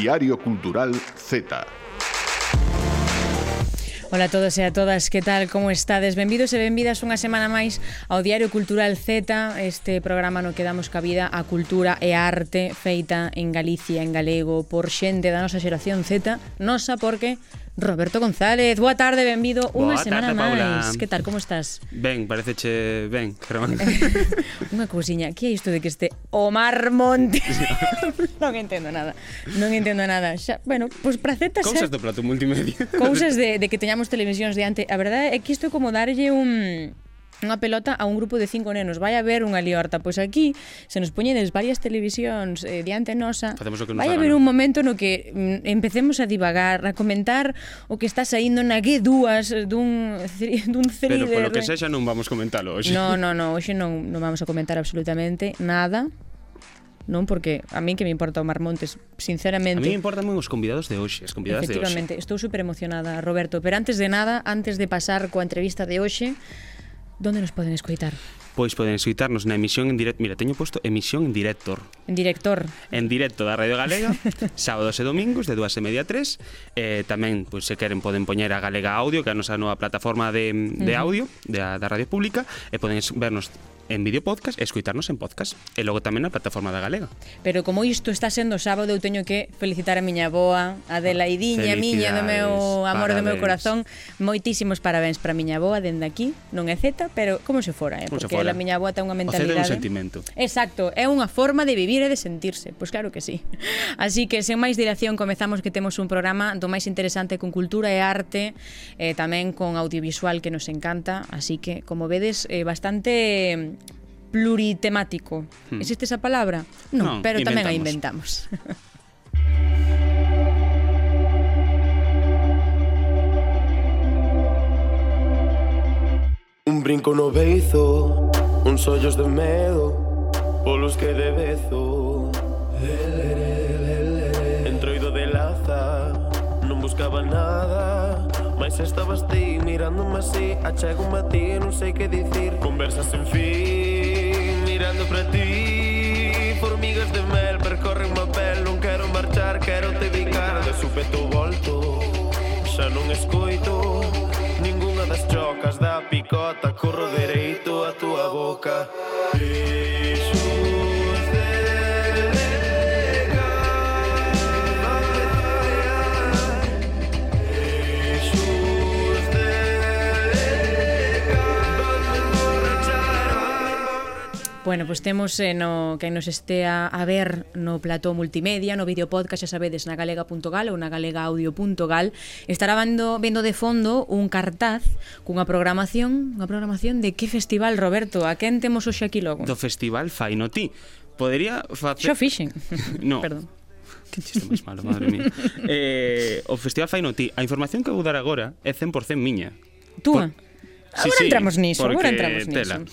Diario Cultural Z. Ola a todos e a todas, que tal, como estades? Benvidos e benvidas unha semana máis ao Diario Cultural Z, este programa no que damos cabida á cultura e a arte feita en Galicia, en galego, por xente da nosa xeración Z, nosa porque Roberto González. Boa tarde, benvido unha semana máis. Que tal, como estás? Ben, pareceche ben, Germán. Unha cousiña, que é isto de que este Omar Montes? Non entendo nada. Xa, bueno, pois para Z Cousas do plato multimedia. Cousas de que teñamos televisións diante. A verdade é que isto é como darlle unha pelota a un grupo de 5 nenos. Vai haber unha liorta. Pois aquí, se nos poñedes varias televisións diante nosa, vai haber un momento no que empecemos a divagar, a comentar o que está saindo na G2 dun thriller. Pero polo que sexa non vamos comentalo hoxe. No, hoxe non vamos a comentar absolutamente nada. Non, porque a mí que me importa o Omar Montes, sinceramente. A mí me importan moi os convidados de hoxe, as convidadas de hoxe. Efectivamente, estou super emocionada, Roberto, pero antes de nada, antes de pasar coa entrevista de hoxe, donde nos poden escoitar? Pois poden escoitarnos na emisión en directo. Mira, teño posto emisión en director. En director. En directo da Radio Galega, sábados e domingos de 2:30 a 3. Tamén, pois, se queren, poden poñer a Galega Audio, que é a nosa nova plataforma de audio da Radio Pública, e poden vernos en vídeo podcast e escoitarnos en podcast. E logo tamén na plataforma da Galega. Pero como isto está sendo sábado, eu teño que felicitar a miña avoa, a Adelaidiña, miña, do meu amor, do meu corazón. Moitísimos parabéns para a miña avoa dende aquí. Non é Z, pero como se fora, porque a miña avoa ten unha mentalidade. O Z é un sentimento. Exacto, é unha forma de vivir e de sentirse. Pois claro que sí. Así que, sen máis dilación, comezamos, que temos un programa do máis interesante con cultura e arte, tamén con audiovisual, que nos encanta. Así que, como vedes, bastante pluritemático. Existe esa palabra? Non, pero tamén a inventamos. Un brinco no beizo, uns ollos de medo, polos que de bezo. Entroido de laza, non buscaba nada, mas estabas ti mirándome así. Achego-me a ti e non sei que dicir. Conversas sen fin, mirando para ti. Formigas de mel percorren má pel. Non quero marchar, quero te bicar. De súpeto volto, xa non escoito ningunha das chocas da picota. Corro dereito a túa boca. Bueno, pois temos quen nos estea a ver no plató multimedia, no vídeo podcast, xa sabedes, na galega.gal ou na galegaaudio.gal, estará vendo de fondo un cartaz cunha programación de que festival, Roberto? A quen temos hoxe aquí logo? Do festival Faino Ti. Podería facer... Xo fixen. No. Perdón. Que chiste máis malo, madre mía. O festival Faino Ti. A información que vou dar agora é 100% miña. Túa? Agora entramos niso. Tela.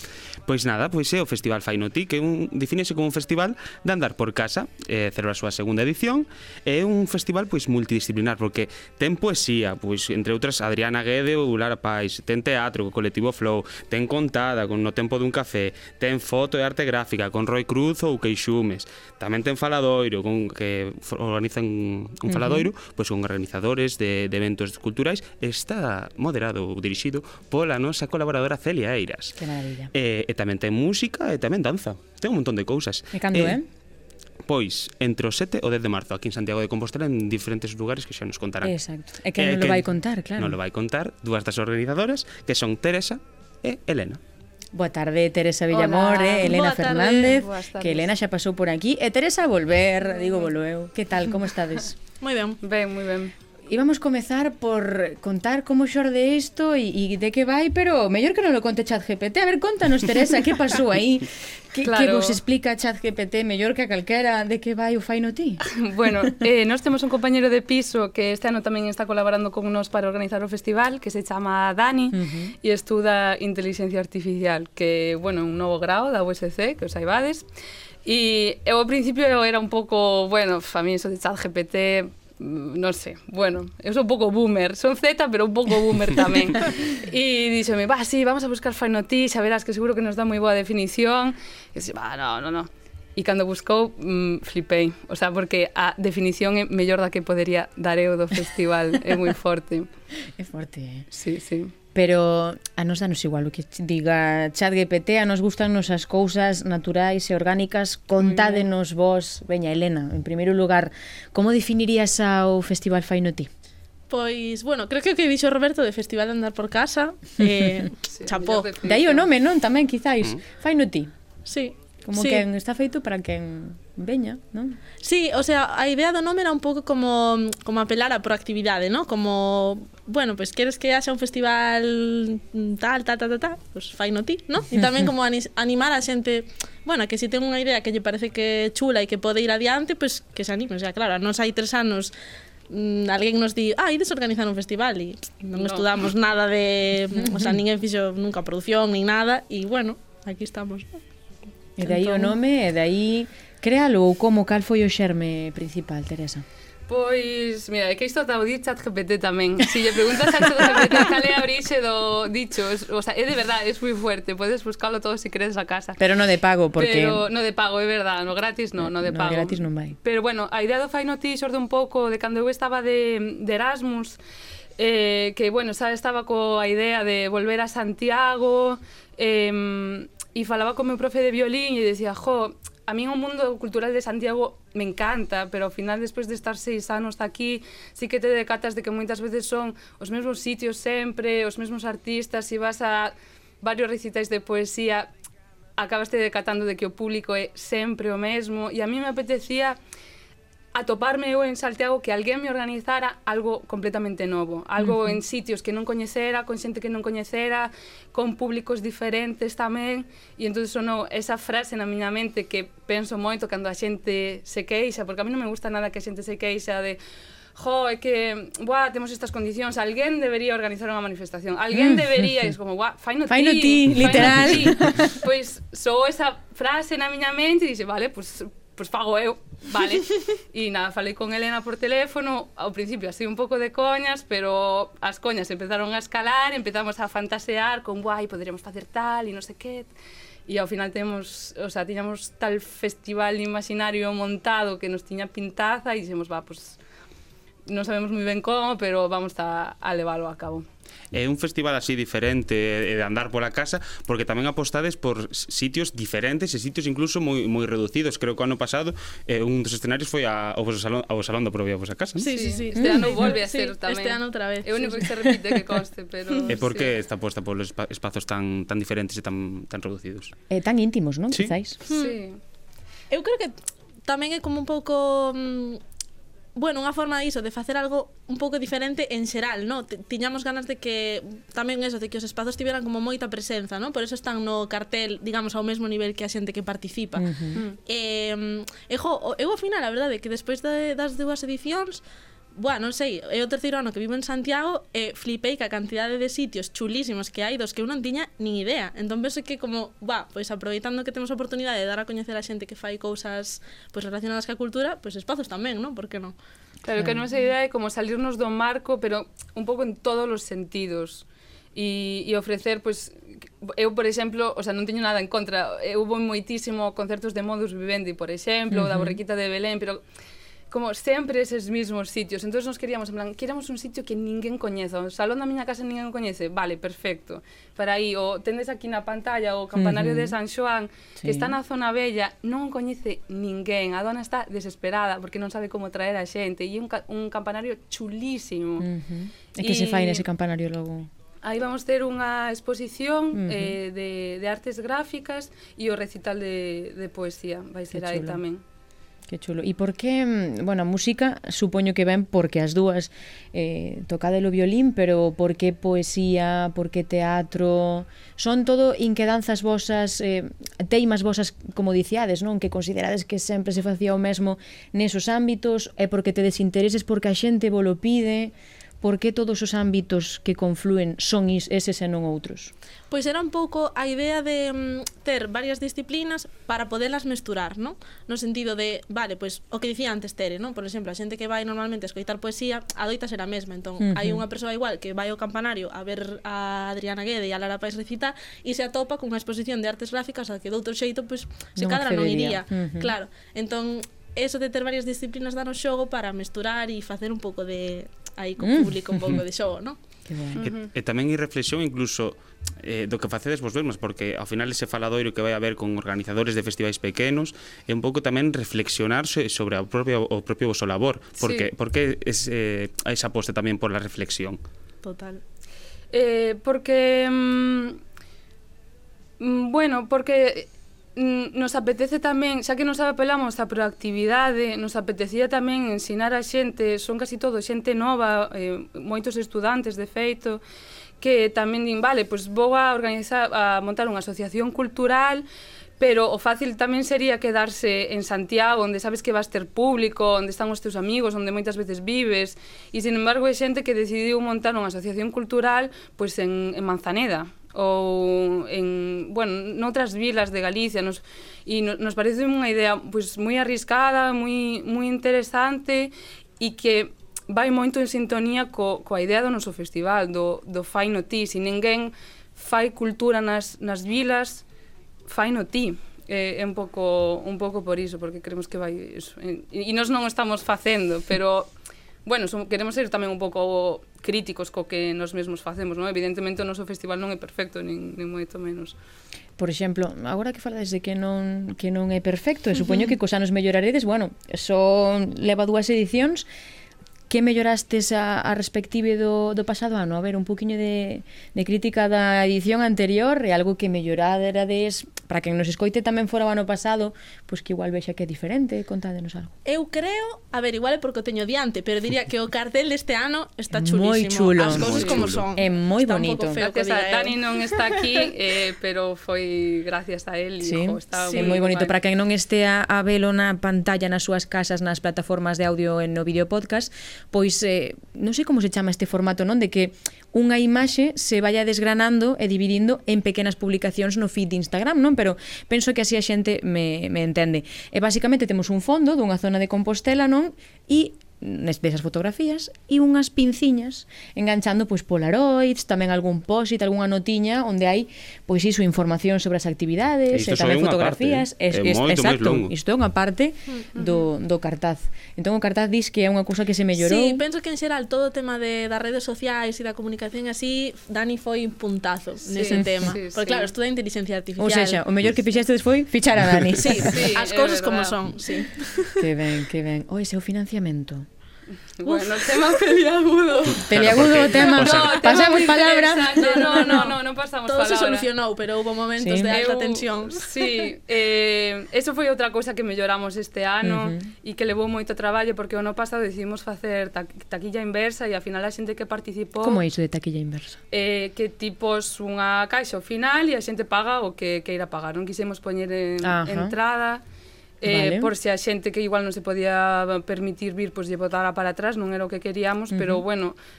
Pois nada, pois é o Festival Faino Ti, que defínese como un festival de andar por casa, celebra a súa segunda edición. É un festival pois multidisciplinar, porque ten poesía, pois entre outras Adriana Guede ou Lara Pais, ten teatro co colectivo Flow, ten contada con No Tempo dun Café, ten foto e arte gráfica con Roy Cruz ou Queixumes, tamén ten faladoiro, que organizan un faladoiro pois con organizadores de eventos culturais. Está moderado ou dirixido pola nosa colaboradora Celia Eiras. Que maravilla. E tamén ten música e tamén danza. Ten un montón de cousas. E cando Pois, entre o 7 e o 10 de marzo, aquí en Santiago de Compostela, en diferentes lugares que xa nos contarán. Exacto. E que non lo vai contar, claro. Non lo vai contar dúas das organizadoras, que son Teresa e Elena. Boa tarde, Teresa Villamor, Elena Fernández, que Elena xa pasou por aquí, e Teresa a volver, digo volveu. Que tal, como estades? Moi ben, moi ben. Íbamos comezar por contar como xorde isto e de que vai, pero mellor que non lo conte ChatGPT. A ver, contanos, Teresa, que pasou aí? Que vos explica ChatGPT mellor que a calquera de que vai o Faino Ti? Bueno, nós temos un compañero de piso que este ano tamén está colaborando con nos para organizar o festival, que se chama Dani, e estuda Inteligencia Artificial, que, bueno, un novo grao da USC, que os saibades. E eu ao principio era un pouco, bueno, a mí eso de ChatGPT, non sei, bueno, eu sou un pouco boomer, son Z, pero un pouco boomer tamén. E díxome, sí, vamos a buscar Faino Ti, xa verás que seguro que nos dá moi boa definición. E dixo, no. E cando buscou, flipei. O sea, porque a definición é mellor da que podería dar eu do festival. É moi forte. É forte, Sí, sí. Pero a nos danos igual o que diga ChatGPT, a nos gustannos as cousas naturais e orgánicas. Contádenos vos, veña, Elena, en primeiro lugar, como definirías ao Festival Faino ti? Pois, bueno, creo que o que dixo Roberto de Festival de Andar por Casa, Sí, chapó. mellor definición. De aí o nome, non? Tamén, quizáis. Faino ti. Sí. Como sí. quen está feito para quen veña, non? Sí, o sea, a idea do nome era un pouco como apelar á proactividade, ¿no? Como, bueno, pues queres que haxa un festival tal, pues faino ti, ¿no? E tamén como animar a xente, bueno, que se ten unha idea que lle parece que é chula e que pode ir adiante, pues que se anime. O sea, claro, nos hai 3 anos alguén nos di, ides organizar un festival e non estudamos nada de, o sea, ninguén fixo nunca produción nin nada e bueno, aquí estamos, ¿no? E de aí o nome, e de aí créalo ou como, cal foi o xerme principal, Teresa? Pois, mira, é que isto está o di ChatGPT tamén. Si lle preguntas a ChatGPT cal é a orixe do dicho, o sea, é de verdade, é moi fuerte, podes buscarlo todo se queres a casa. Pero non de pago, porque... Pero no de pago, é verdade, no gratis no de pago. No gratis non vai. Pero bueno, a idea do Faino ti xorde un pouco de cando eu estaba de Erasmus, que, bueno, xa estaba coa idea de volver a Santiago, e falaba con meu profe de violín e decía, a mí o mundo cultural de Santiago me encanta, pero ao final, despois de estar 6 anos aquí, sí que te decatas de que moitas veces son os mesmos sitios sempre, os mesmos artistas, se vas a varios recitais de poesía, acabaste decatando de que o público é sempre o mesmo, e a mí me apetecía atoparme eu en Santiago que alguén me organizara algo completamente novo, algo en sitios que non coñecera, con xente que non coñecera, con públicos diferentes tamén, e entón sonou esa frase na miña mente que penso moito cando a xente se queixa, porque a mí non me gusta nada que a xente se queixa de é que, temos estas condicións, alguén debería organizar unha manifestación, alguén debería, e es como, faino ti, literal. Pois sou esa frase na miña mente e dixe, vale, pois fago eu, vale. E nada, falei con Elena por teléfono, ao principio así un pouco de coñas, pero as coñas empezaron a escalar, empezamos a fantasear con, poderíamos facer tal e non sei que, e ao final tiñamos tal festival imaginario montado que nos tiña pintaza e dixemos, pues non sabemos moi ben como, pero vamos a leválo a cabo. É un festival así diferente de andar pola casa, porque tamén apostades por sitios diferentes e sitios incluso moi reducidos. Creo que o ano pasado un dos escenarios foi ao Salón da Provia vosa casa, non? Sí. Este ano volve a ser tamén. Este ano outra vez. É o único que se repite que conste, pero... E por que está posta polos espazos tan diferentes e tan reducidos? Tan íntimos, non? Sí. Quizáis. Sí. Eu creo que tamén é como un pouco... bueno, unha forma diso, de facer algo un pouco diferente en xeral, no? Tiñamos ganas de que, tamén eso, de que os espazos tiveran como moita presenza, no? Por eso están no cartel, digamos, ao mesmo nivel que a xente que participa. Eu ao final, a verdade, que despois das 2 edicións, non sei, é o 3º ano que vivo en Santiago e flipei que a cantidade de sitios chulísimos que hai dos que eu non tiña nin idea. Entón penso que como, pois aproveitando que temos a oportunidade de dar a coñecer a xente que fai cousas pois relacionadas ca cultura, pois espazos tamén, non? Por que non? Claro, que a nosa idea é como salirnos do marco, pero un pouco en todos os sentidos. E ofrecer, pois, eu, por exemplo, o sea, non teño nada en contra. Eu vou moitísimo concertos de Modus Vivendi, por exemplo, da Borriquita de Belén, pero como sempre eses mismos sitios. Entón nos queríamos, en plan, queremos un sitio que ninguén coñeza. O salón da miña casa ninguén coñece. Vale, perfecto. Para aí, o tendes aquí na pantalla o campanario de San Xoán, que está na zona bella, non o coñece ninguén. A dona está desesperada porque non sabe como traer a xente. E un campanario chulísimo. E que se fai nese campanario logo? Aí vamos ter unha exposición de artes gráficas e o recital de poesía. Vai ser aí tamén. Que chulo. E por que, a música supoño que ven porque as dúas tocade o violín, pero por que poesía, por que teatro? Son todo inquedanzas vosas, teimas vosas, como diciades, non? Que considerades que sempre se facía o mesmo nesos ámbitos, é porque te desintereses porque a xente vos lo pide, por que todos os ámbitos que confluen son eses e non outros? Pois era un pouco a idea de ter varias disciplinas para poderlas mesturar, non? No sentido de, vale, pois o que dicía antes Tere, non? Por exemplo, a xente que vai normalmente a escoitar poesía, adoita ser a mesma, entón hai unha persoa igual que vai ao campanario a ver a Adriana Guede e a Lara Pais recitar e se atopa cunha exposición de artes gráficas a que de outro xeito, pois, se cadra non iría. Claro, entón eso de ter varias disciplinas danos xogo para mesturar e facer un pouco de aí co público un pouco de xogo, non? E tamén hai reflexión incluso do que facedes vos mesmos, porque ao final ese faladoiro que vai haber con organizadores de festivais pequenos é un pouco tamén reflexionar sobre o propio voso labor, porque esa aposta tamén por la reflexión. Total. Porque porque nos apetece tamén, xa que nos apelamos a proactividade, nos apetecía tamén ensinar a xente, son casi todo xente nova, moitos estudantes de feito, que tamén din, vale, pois vou a montar unha asociación cultural, pero o fácil tamén sería quedarse en Santiago, onde sabes que vas ter público, onde están os teus amigos, onde moitas veces vives, e sin embargo hai xente que decidiu montar unha asociación cultural pois en Manzaneda, ou en, noutras vilas de Galicia, nos parece unha idea pois moi arriscada, moi interesante e que vai moito en sintonía coa idea do noso festival, do fai no ti. Se ninguén fai cultura nas vilas, fai no ti. É un pouco por iso, porque creemos que vai iso. E nós non o estamos facendo, pero queremos ser tamén un pouco críticos co que nos mesmos facemos, non? Evidentemente o noso festival non é perfecto, nin moito menos. Por exemplo, agora que falades de que non é perfecto, e supoño que cos anos melloraredes, só leva 2 edicións. Que mellorastes a respective do pasado ano? A ver, un poquinho de crítica da edición anterior e algo que mellorades para quen nos escoite tamén fora o ano pasado, pois que igual vexa que é diferente, contádenos algo. Eu creo, a ver, igual é porque o teño diante, pero diría que o cartel deste ano está chulísimo. Moi chulo. As cousas como son. É moi bonito. Gracias a Dani non está aquí, pero foi gracias a él. Sí, é moi bonito. Para quen non estea a velo na pantalla nas súas casas, nas plataformas de audio e no vídeo podcast, pois non sei como se chama este formato, non? De que unha imaxe se vaya desgranando e dividindo en pequenas publicacións no feed de Instagram, non? Pero penso que así a xente me entende. E basicamente temos un fondo dunha zona de Compostela, non? E desas fotografías e unhas pinciñas enganchando pois polaroids, tamén algún post-it, algunha notiña onde hai pois iso, información sobre as actividades e tamén fotografías. Exacto, isto é unha parte do cartaz. Entón o cartaz dis que é unha cousa que se mellorou. Sí, penso que en xeral todo o tema das redes sociais e da comunicación así, Dani foi un puntazo nese tema. Porque claro, estuda inteligencia artificial. Ou seja, o mellor que fixestes foi fichar a Dani. Sí, as cousas como son, sí. Que ben, que ben. O ese é o financiamento. Bueno, tema peliagudo. Peliagudo o tema. Pasamos palabra. No pasamos todo palabra. Todo se solucionou, pero houve momentos de alta tensión. Sí, eso foi outra cousa que melloramos este ano e que levou moito traballo, porque o ano pasado decidimos facer taquilla inversa e ao final a xente que participou... Como é iso de taquilla inversa? Que tipos unha caixa ao final e a xente paga o que queira pagar. Non quisemos poñer entrada... Vale. Por se a xente que igual non se podía permitir vir, pois lle botara para atrás, non era o que queríamos, pero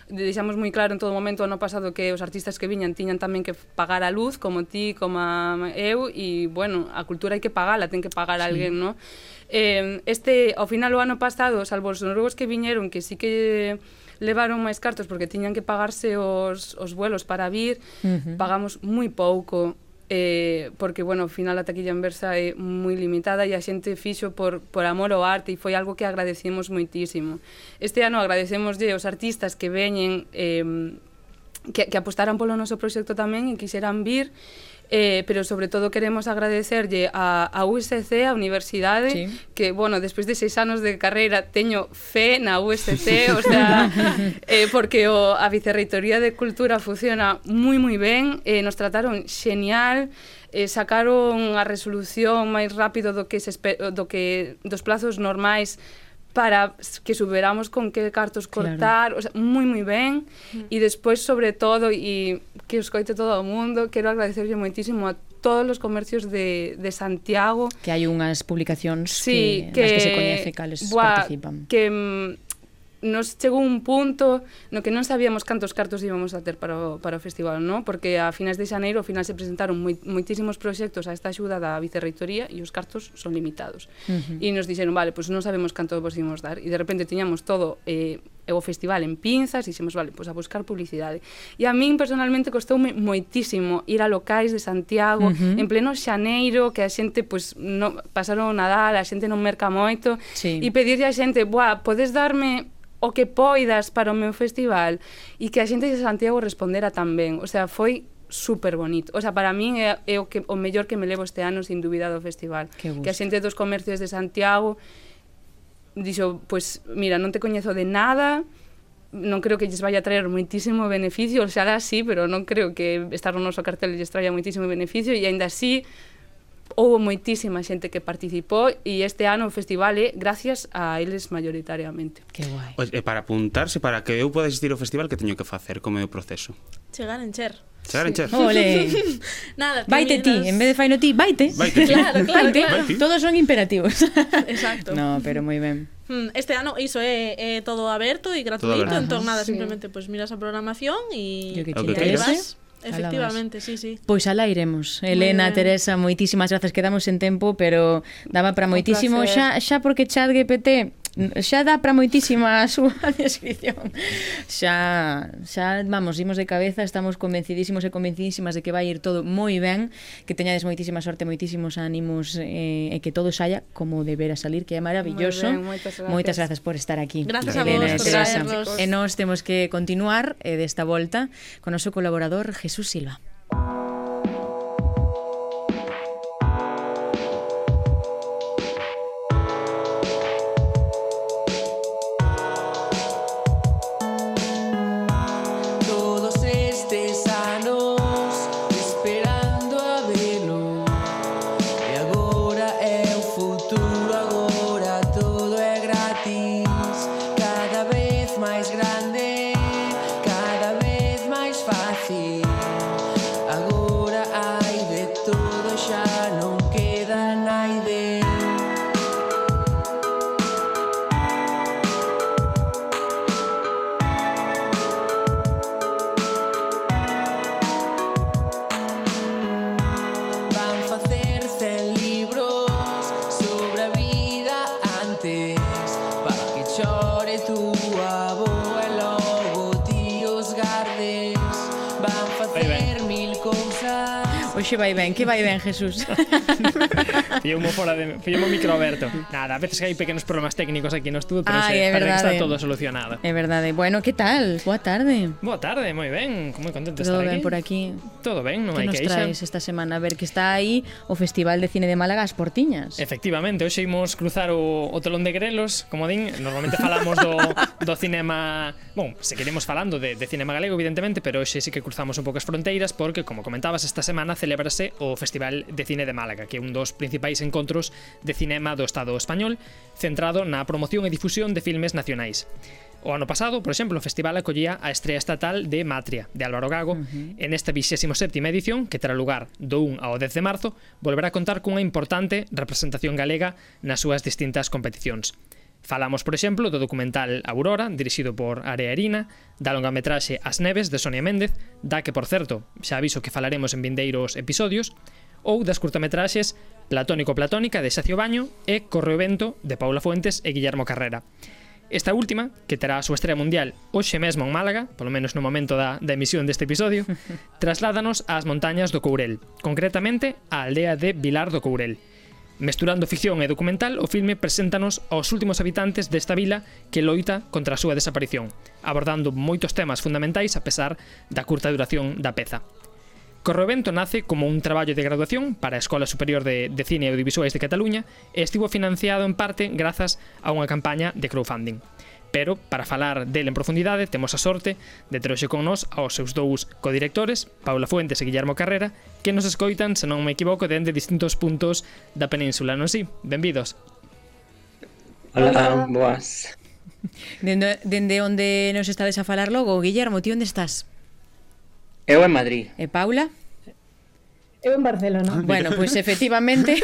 deixamos moi claro en todo momento ano pasado que os artistas que viñan tiñan tamén que pagar a luz, como ti, como eu, e a cultura hai que pagala, ten que pagar alguén, non? Ao final o ano pasado, salvo os noruegos que viñeron, que sí que levaron máis cartos porque tiñan que pagarse os vuelos para vir, pagamos moi pouco. Porque, ao final a taquilla inversa é moi limitada e a xente fixo por amor ao arte e foi algo que agradecemos moitísimo. Este ano agradecemoslle aos artistas que veñen que apostaran polo noso proxecto tamén e quixeran vir, pero sobre todo queremos agradecerlle a USC, a Universidade, que, despois de 6 anos de carreira teño fe na USC, o sea, porque a Vicerreitoría de Cultura funciona moi ben, nos trataron xenial, sacaron a resolución máis rápido dos plazos normais para que superamos con que cartos cortar, o sea, moi ben, e despois, sobre todo, e que os coite todo o mundo, quero agradecerlle moitísimo a todos os comercios de Santiago. Que hai unhas publicacións nas que se coñece cales participan. Que nos chegou un punto no que non sabíamos cantos cartos íbamos a ter para o festival, non? Porque a finais de xaneiro, ao final se presentaron moitísimos proxectos a esta axuda da Vicerreitoría e os cartos son limitados. E nos dixeron, vale, pois non sabemos canto vos imos dar. E de repente tiñamos todo o festival en pinzas e dixemos, vale, pois a buscar publicidade. E a min personalmente costoume moitísimo ir a locais de Santiago en pleno xaneiro, que a xente pois pasaron o Nadal, a xente non merca moito, e pedirlle a xente, buah, podes darme o que poidas para o meu festival, e que a xente de Santiago respondera tamén. O sea, foi super bonito. O sea, para min é o mellor que me levo este ano, sin dúbida, do festival. Que a xente dos comercios de Santiago dixo, pois, mira, non te coñezo de nada, non creo que lles vaya a traer moitísimo beneficio, o sea, sí, pero non creo que estar no noso cartel lles traia moitísimo beneficio, e aínda así houve moitísima xente que participou, e este ano o festival é gracias a eles mayoritariamente. Que guai. E para apuntarse, para que eu poda asistir ao festival, que teño que facer? Como é o proceso? Chegar en Cher. Chegar en Cher. Ole. Nada, Vaite ti, en vez de faino ti, vaite. Vaite ti. Claro. Todos son imperativos. Exacto. No, pero moi ben. Este ano iso é todo aberto e gratuito, aberto. entón nada, simplemente pues miras a programación e O que que aí queres. vas. Efectivamente, sí. Pois alá iremos. Elena, Teresa, moitísimas grazas, quedamos en tempo, pero daba para moitísimo xa porque ChatGPT xa dá para moitísima a súa descripción. Xa, vamos, imos de cabeza, estamos convencidísimos e convencidísimas de que vai ir todo moi ben, que teñades moitísima sorte, moitísimos ánimos e que todo saia como debera salir, que é maravilloso. Moitas grazas por estar aquí. Gracias Elena a vos por Teresa. traernos. E nós temos que continuar desta volta con o noso colaborador Jesús Silva. Oxe vai ben, que vai ben, Jesús? Fío-mo o micro aberto. Nada, a veces hai pequenos problemas técnicos aquí no estudo, pero é parece que está verdade. todo solucionado. É verdade. Bueno, que tal? Boa tarde. Boa tarde, moi ben, moi contento de Todo estar ben aquí. por aquí. Todo ben, non Que hai nos queixa. traes esta semana? A ver, que está aí o Festival de Cine de Málaga as Portiñas. Efectivamente, hoxe imos cruzar o telón de grelos, como din. Normalmente falamos do cinema, bon, seguiremos falando de cinema galego, evidentemente, pero hoxe sí que cruzamos un pouco as fronteiras, porque, como comentabas, esta semana celébrase o Festival de Cine de Málaga, que é un dos principais encontros de cinema do Estado español, centrado na promoción e difusión de filmes nacionais. O ano pasado, por exemplo, o festival acollía a estrea estatal de Matria, de Álvaro Gago. En esta 27ª edición, que terá lugar do 1 ao 10 de marzo, volverá a contar cunha importante representación galega nas súas distintas competicións. Falamos, por exemplo, do documental Aurora, dirixido por Area Erina, da longametraxe As Neves, de Sonia Méndez, da que, por certo, xa aviso que falaremos en vindeiros episodios, ou das curtametraxes Platónico-Platónica, de Xacio Baño, e Corre o Vento, de Paula Fuentes e Guillermo Carrera. Esta última, que terá a súa estrela mundial hoxe mesmo en Málaga, polo menos no momento da emisión deste episodio, trasládanos ás montañas do Courel, concretamente á aldea de Vilar do Courel. Mesturando ficción e documental, o filme preséntanos aos últimos habitantes desta vila que loita contra a súa desaparición, abordando moitos temas fundamentais a pesar da curta duración da peza. Corre o Vento nace como un traballo de graduación para a Escola Superior de Cine e Audiovisuais de Cataluña e estivo financiado en parte grazas a unha campaña de crowdfunding. Pero, para falar del en profundidade, temos a sorte de ter hoxe con nós aos seus dous codirectores, Paula Fuentes e Guillermo Carrera, que nos escoitan, se non me equivoco, dende distintos puntos da península, non si? Benvidos. Hola, boas. Dende onde nos estades a falar logo, Guillermo, ti onde estás? Eu en Madrid. E Paula? Eu en Barcelona. Bueno, pois efectivamente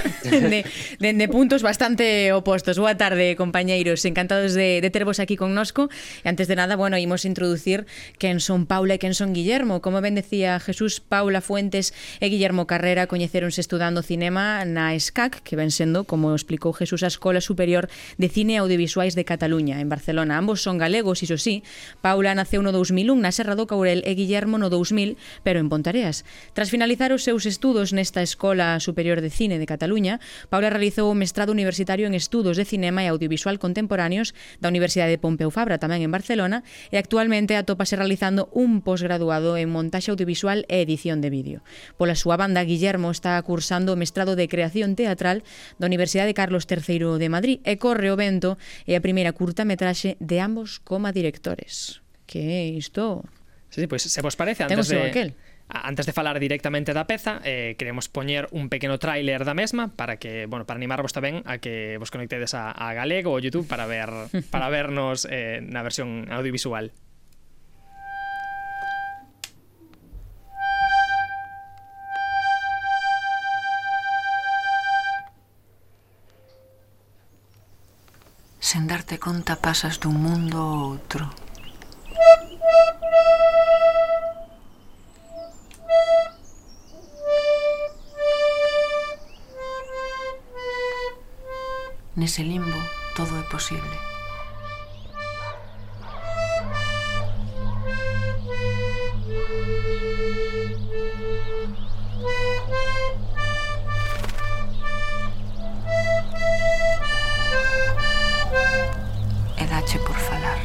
dende puntos bastante opostos. Boa tarde, compañeiros, encantados de tervos aquí connosco. E antes de nada, bueno, imos introducir quen son Paula e quen son Guillermo. Como ben decía Jesús, Paula Fuentes e Guillermo Carrera coñeceronse estudando cinema na ESCAC, que ven sendo, como explicou Jesús, a Escola Superior de Cine e Audiovisuais de Cataluña, en Barcelona. Ambos son galegos, iso sí. Paula naceu no 2001 na Serra do Courel e Guillermo no 2000, pero en Pontareas. Tras finalizar os seus estudos nesta Escola Superior de Cine de Cataluña, Paula realizou o mestrado universitario en Estudos de Cinema e Audiovisual Contemporáneos da Universidade de Pompeu Fabra, tamén en Barcelona, e actualmente atópase realizando un posgraduado en montaxe audiovisual e edición de vídeo. Pola súa banda, Guillermo está cursando o mestrado de Creación Teatral da Universidade Carlos III de Madrid e corre o vento e a primeira curtametraxe de ambos como directores. Que é isto? Sí, pois se vos parece, antes de falar directamente da peza, queremos poñer un pequeno tráiler da mesma para que, bueno, para animarvos tamén a que vos conectedes a Galego ou YouTube para vernos na versión audiovisual. Sen darte conta pasas dun mundo a outro. Nese limbo todo é posible. E dache por falar.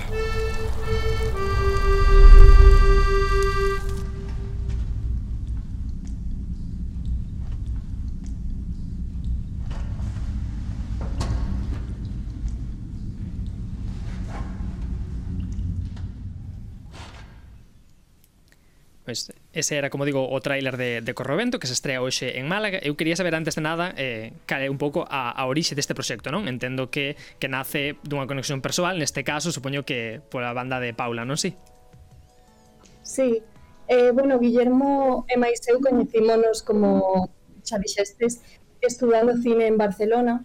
Pois ese era, como digo, o tráiler de Corrovento, que se estrea hoxe en Málaga. Eu quería saber antes de nada cal é un pouco a orixe deste proxecto, non? Entendo que nace dunha conexión persoal, neste caso, supoño que pola banda de Paula, non si? Sí, bueno, Guillermo e máis eu coñecímonos, como xa dixestes, estudando cine en Barcelona.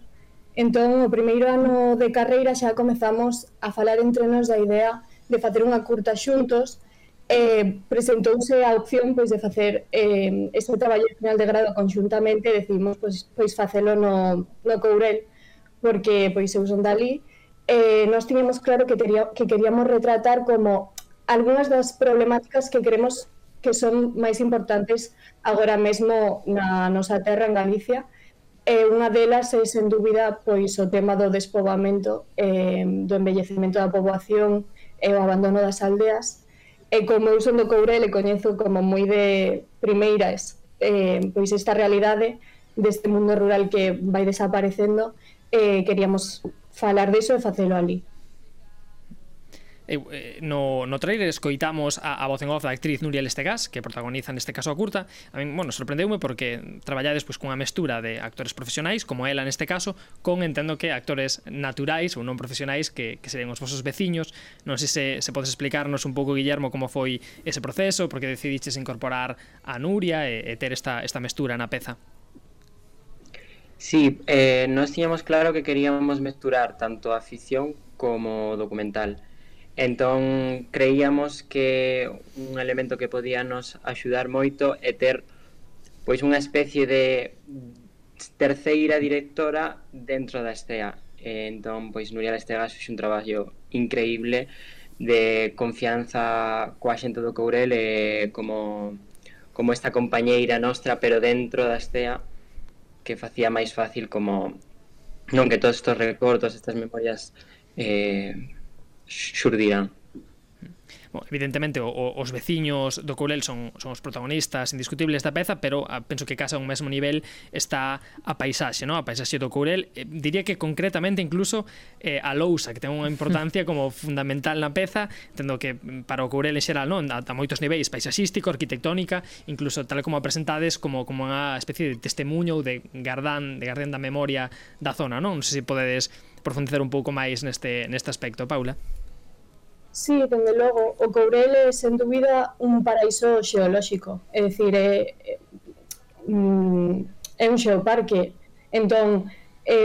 Entón, o primeiro ano de carreira xa comezamos a falar entre nós da idea de facer unha curta xuntos. Presentouse a opción pois de facer este traballo final de grado conxuntamente e decidimos pois facelo no Courel, porque pois eu son dali. Nós tiñamos claro que queríamos retratar como algunhas das problemáticas que creemos que son máis importantes agora mesmo na nosa terra, en Galicia. Unha delas é, sen dúbida, pois o tema do despoboamento, do envellecemento da poboación e o abandono das aldeas. E como eu son do Courel e coñezo como moi de primeiras pois esta realidade deste mundo rural que vai desaparecendo, queríamos falar diso e facelo ali. No trailer escoitamos a voz en off da actriz Nuria Lestegás, que protagoniza neste caso a curta. A min, bueno, sorprendeume porque traballades pois cunha mestura de actores profesionais, como ela neste caso, con, entendo que, actores naturais ou non profesionais que serían os vosos veciños. Non sei se podes explicarnos un pouco, Guillermo, como foi ese proceso, porque decidiches incorporar a Nuria e ter esta mestura na peza. Sí, nós tiñamos claro que queríamos mesturar tanto a ficción como documental. Entón, creíamos que un elemento que podía nos axudar moito é ter pois unha especie de terceira directora dentro da estea. Entón, pois Nuria Lestegás fixo un traballo increíble de confianza coa xente do Courel e como esta compañeira nostra, pero dentro da estea, que facía máis fácil como non que todos estes recortos, estas memorias xurdirán. Bueno, evidentemente os veciños do Courel son os protagonistas indiscutibles da peza, pero penso que casa a un mesmo nivel está a paisaxe, ¿no? A paisaxe do Courel. Diría que concretamente incluso a lousa, que ten unha importancia como fundamental na peza. Entendo que para o Courel en xeral, non, a moitos niveis, paisaxístico, arquitectónica, incluso tal como a presentades como unha especie de testemunho ou de gardán da memoria da zona, non? Non sei se podedes profundizar un pouco máis neste aspecto, Paula. Sí, dende logo, o Courel é, sen dúbida, un paraíso xeolóxico. É dicir, é un xeoparque. Entón,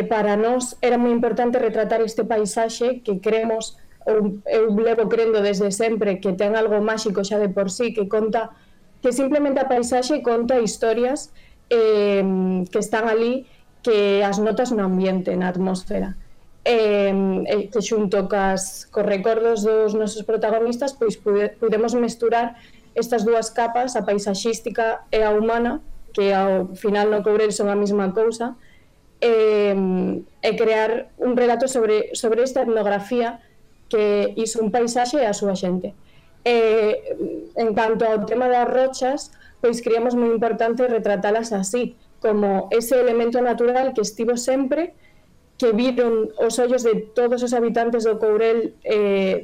para nós era moi importante retratar este paisaxe que creemos, ou eu levo crendo desde sempre, que ten algo máxico xa de por sí, que conta, que simplemente a paisaxe conta historias que están ali, que as notas no ambiente, na atmosfera. Que xunto cos recordos dos nosos protagonistas, pois pudemos mesturar estas dúas capas, a paisaxística e a humana, que ao final no Courel son a mesma cousa, e crear un relato sobre esta etnografía que iso un paisaxe e a súa xente. En canto ao tema das rochas, pois creíamos moi importante retratalas así, como ese elemento natural que estivo sempre, que viron os ollos de todos os habitantes do Courel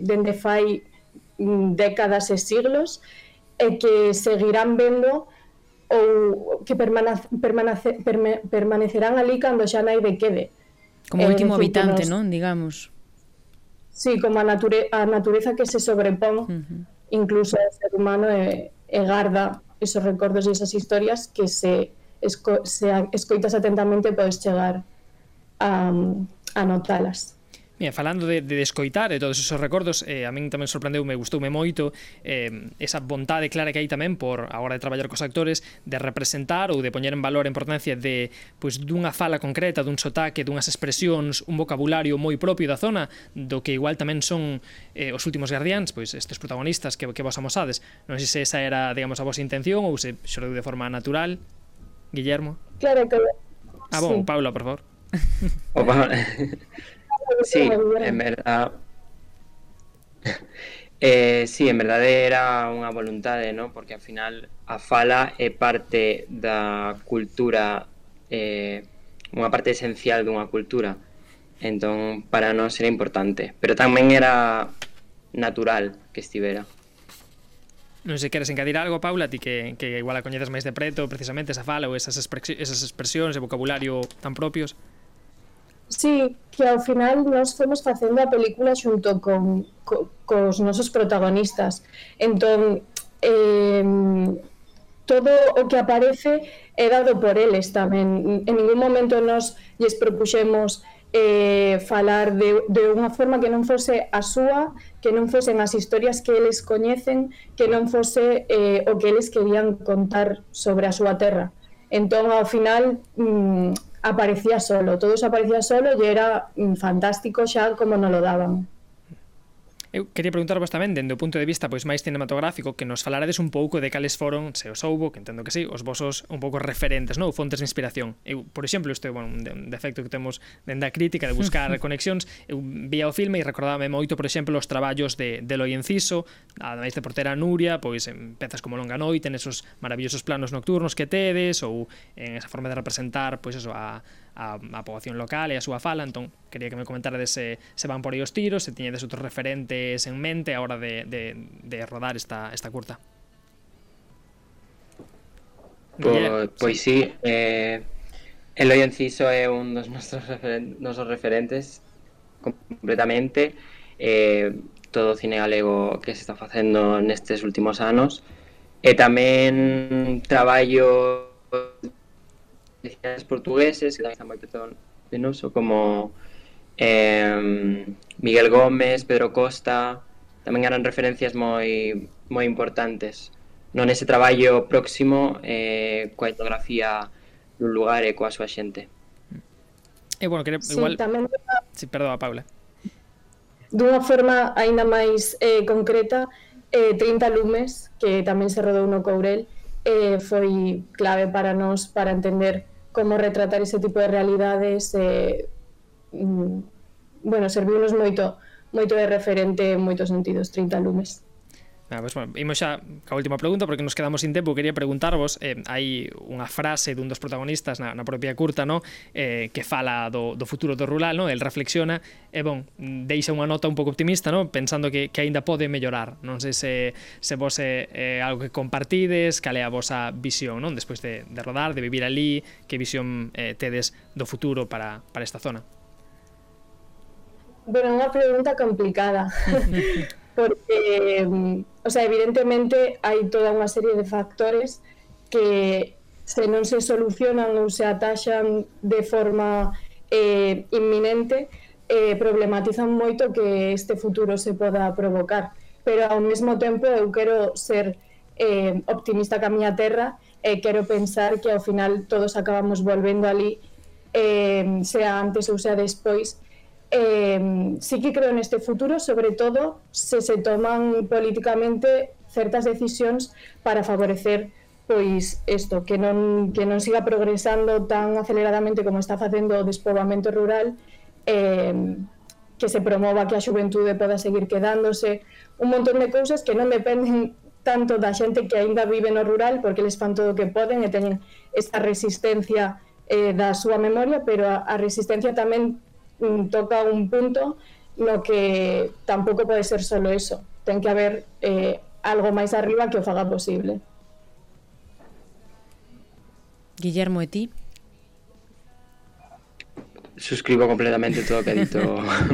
dende fai décadas e siglos, e que seguirán vendo ou que permanecerán ali cando xa naide quede. Como último habitante, non? Digamos. Sí, como a natureza que se sobrepón incluso ao ser humano e garda esos recordos e esas historias que se escoitas atentamente podes chegar a notalas. Mira, falando de escoitar e todos esos recordos, a min tamén sorprendeume, gustoume moito esa vontade clara que hai tamén por, a hora de traballar cos actores, de representar ou de poñer en valor a importancia de, pois, dunha fala concreta, dun sotaque, dunhas expresións, un vocabulario moi propio da zona, do que igual tamén son os últimos guardiáns, pois estes protagonistas que vos amosades. Non sei se esa era, digamos, a vosa intención ou se xorou de forma natural. Guillermo? Claro que... Bon, sí. Paula, por favor. Opa. Sí, en verdad sí, en verdade era unha voluntade, ¿no? Porque ao final a fala é parte da cultura, unha parte esencial dunha cultura. Entón, para nós era importante, pero tamén era natural que estivera. Non sei, queres encadir algo, Paula, ti que igual a coñeces máis de preto, precisamente esa fala ou esas expresións e vocabulario tan propios? Sí, que ao final nós fomos facendo a película xunto cos nosos protagonistas. Entón, todo o que aparece é dado por eles tamén. En ningún momento nós lles propuxemos falar de unha forma que non fose a súa, que non fosen as historias que eles coñecen, que non fose o que eles querían contar sobre a súa terra. Entón, ao final, aparecía solo, todo se aparecía solo e era fantástico xa como nos lo daban. Eu quería preguntarvos tamén, dende o punto de vista pois máis cinematográfico, que nos falarades un pouco de cales foron, se os houbo, que entendo que sí, os vosos un pouco referentes, non? Fontes de inspiración. Eu, por exemplo, isto é un defecto que temos dende a crítica de buscar conexións. Eu vía o filme e recordábame moito, por exemplo, os traballos de Eloi Enciso, ademais de Portera Nuria, pois en pezas como Longa Noite, en esos maravillosos planos nocturnos que tedes, ou en esa forma de representar, pois eso, a poboación local e a súa fala. Entón, quería que me comentárades se van por aí os tiros, se tiñedes outros referentes en mente a hora de rodar esta curta. Pois sí, Eloi Enciso é un dos nosos referentes completamente. Todo o cine galego que se está facendo nestes últimos anos, e tamén traballo portugueses que tamén están moi penoso, como Miguel Gómez, Pedro Costa, tamén eran referencias moi importantes non ese traballo próximo coa etnografía dun lugar e coa súa xente. E bueno, sí, igual... tamén Sí, perdón, Paula. Dunha forma aínda máis concreta, 30 lumes, que tamén se rodou no Courel, foi clave para nós para entender como retratar ese tipo de realidades. Bueno, serviunos moito de referente en moitos sentidos, 30 lumes. Pues bueno, imos xa ca última pregunta porque nos quedamos sin tempo. Quería preguntarvos, hai unha frase dun dos protagonistas na propia curta, no? Que fala do futuro do rural, no? El reflexiona e bon, deixa unha nota un pouco optimista, no? Pensando que aínda pode mellorar. Non sei se vos é algo que compartides, cal é a vosa visión, non? Despois de rodar, de vivir ali, que visión tedes do futuro para esta zona? Bueno, unha pregunta complicada. Porque, o sea, evidentemente hai toda unha serie de factores que se non se solucionan ou se ataxan de forma inminente, problematizan moito que este futuro se poda provocar. Pero ao mesmo tempo eu quero ser optimista ca miña terra e quero pensar que ao final todos acabamos volvendo ali, sea antes ou sea despois. Sí que creo neste futuro, sobre todo se toman políticamente certas decisións para favorecer pois isto, que non siga progresando tan aceleradamente como está facendo o despoboamento rural, que se promova que a xuventude poda seguir quedándose, un montón de cousas que non dependen tanto da xente que aínda vive no rural, porque eles fan todo o que poden e teñen esta resistencia da súa memoria, pero a resistencia tamén toca un punto no que tampouco pode ser solo eso, ten que haber algo máis arriba que o faga posible. Guillermo, e ti? Suscribo completamente todo o que ha dito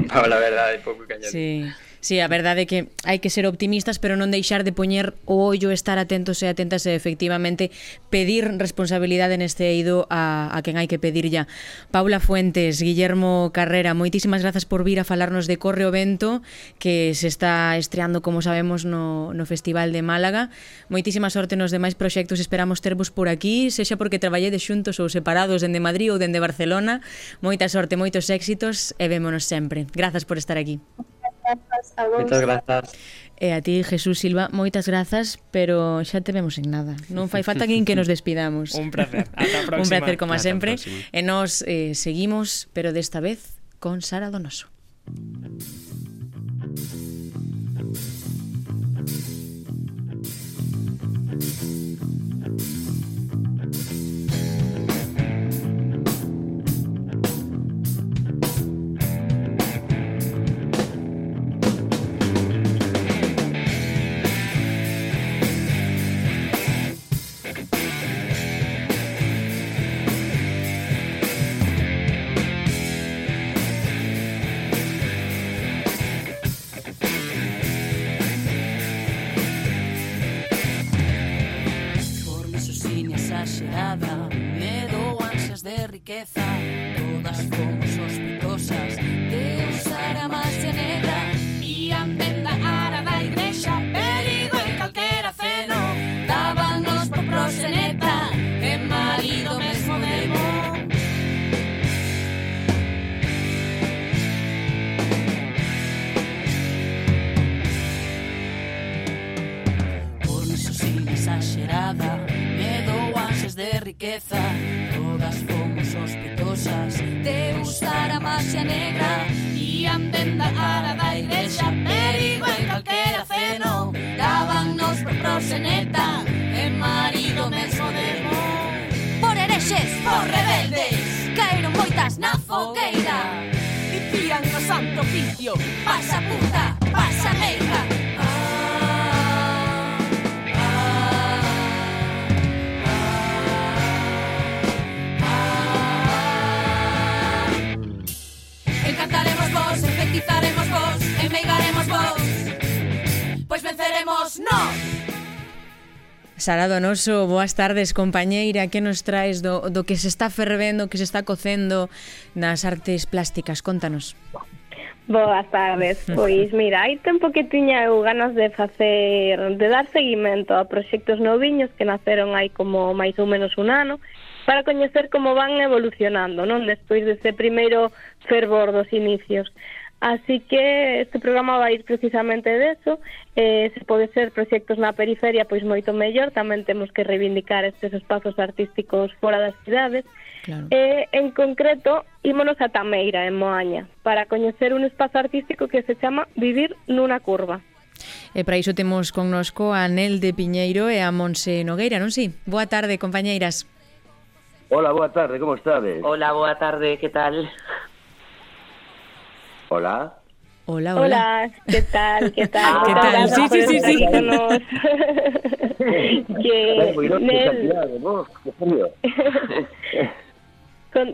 Paula, a verdade, pouco que añadir. Sí, a verdade é que hai que ser optimistas, pero non deixar de poñer o ollo, estar atentos e atentas e efectivamente pedir responsabilidade neste eido a quen hai que pedir ya. Paula Fuentes, Guillermo Carrera, moitísimas grazas por vir a falarnos de Corre o Vento, que se está estreando, como sabemos, no Festival de Málaga. Moitísima sorte nos demais proxectos, esperamos tervos por aquí, sexa porque traballedes xuntos ou separados dende Madrid ou dende Barcelona. Moita sorte, moitos éxitos e vémonos sempre. Grazas por estar aquí. Moitas grazas. E a ti, Jesús Silva, moitas grazas, pero xa te vemos en nada. Non fai falta nin que nos despidamos. Un placer. Ata a próxima. Un placer, como sempre. E nos seguimos, pero desta vez con Sara Donoso. Todas fomos sospitosas de usar a magia negra e a venda ara da igrexa, perigo en calquera ceno, dábanos por proxeneta e marido mesmo demo. Por iso sin exagerada, medo, ansias de riqueza, todas fomos sospitosas de usar a magia negra e a venda ara da igrexa, perigo en calquera ceno, dábanos por proxeneta e marido mesmo demo. Por herexes, por rebeldes, caeron moitas na fogueira, dicían no santo oficio, pasa puta, pasa negra. Encantaremos vos, efectizaremos vos, enmeigaremos vos, pois venceremos nós. Sara Donoso, boas tardes, compañeira. Que nos traes do que se está fervendo, que se está cocendo nas artes plásticas? Contanos. Boas tardes. Pois mira, hai tempo que tiña eu ganas de dar seguimento a proxectos noviños que naceron hai como máis ou menos un ano, para coñecer como van evolucionando, non? Despois dese primeiro fervor dos inicios. Así que este programa vai ir precisamente deso. Se pode ser proxectos na periferia, pois moito mellor. Tamén temos que reivindicar estes espazos artísticos fora das cidades. Claro. En concreto, ímonos a Tameira, en Moaña, para coñecer un espazo artístico que se chama Vivir nunha curva. E para iso temos connosco a Nel de Piñeiro e a Monse Nogueira, non si? Boa tarde, compañeiras. Hola, boa tarde, como estades? Hola, boa tarde, que tal? Hola. Hola, hola. Hola, ¿qué tal? ¿Qué tal? ¿Qué tal? Sí, sí, sí, sí.